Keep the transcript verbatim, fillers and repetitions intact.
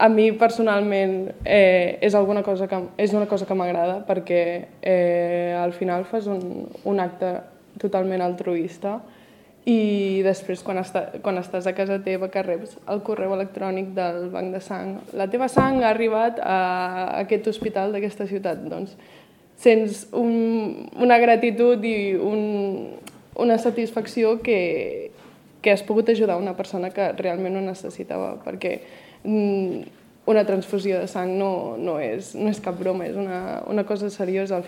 a mi personalment eh, és, alguna cosa que, és una cosa que m'agrada perquè eh, al final fas un, un acte totalment altruista i després quan, està, quan estàs a casa teva que reps el correu electrònic del banc de sang, la teva sang ha arribat a aquest hospital d'aquesta ciutat, doncs sents un, una gratitud i un, una satisfacció que, que has pogut ajudar una persona que realment ho necessitava, perquè una transfusió de sang no, no, és, no és cap broma, és una, una cosa seriosa.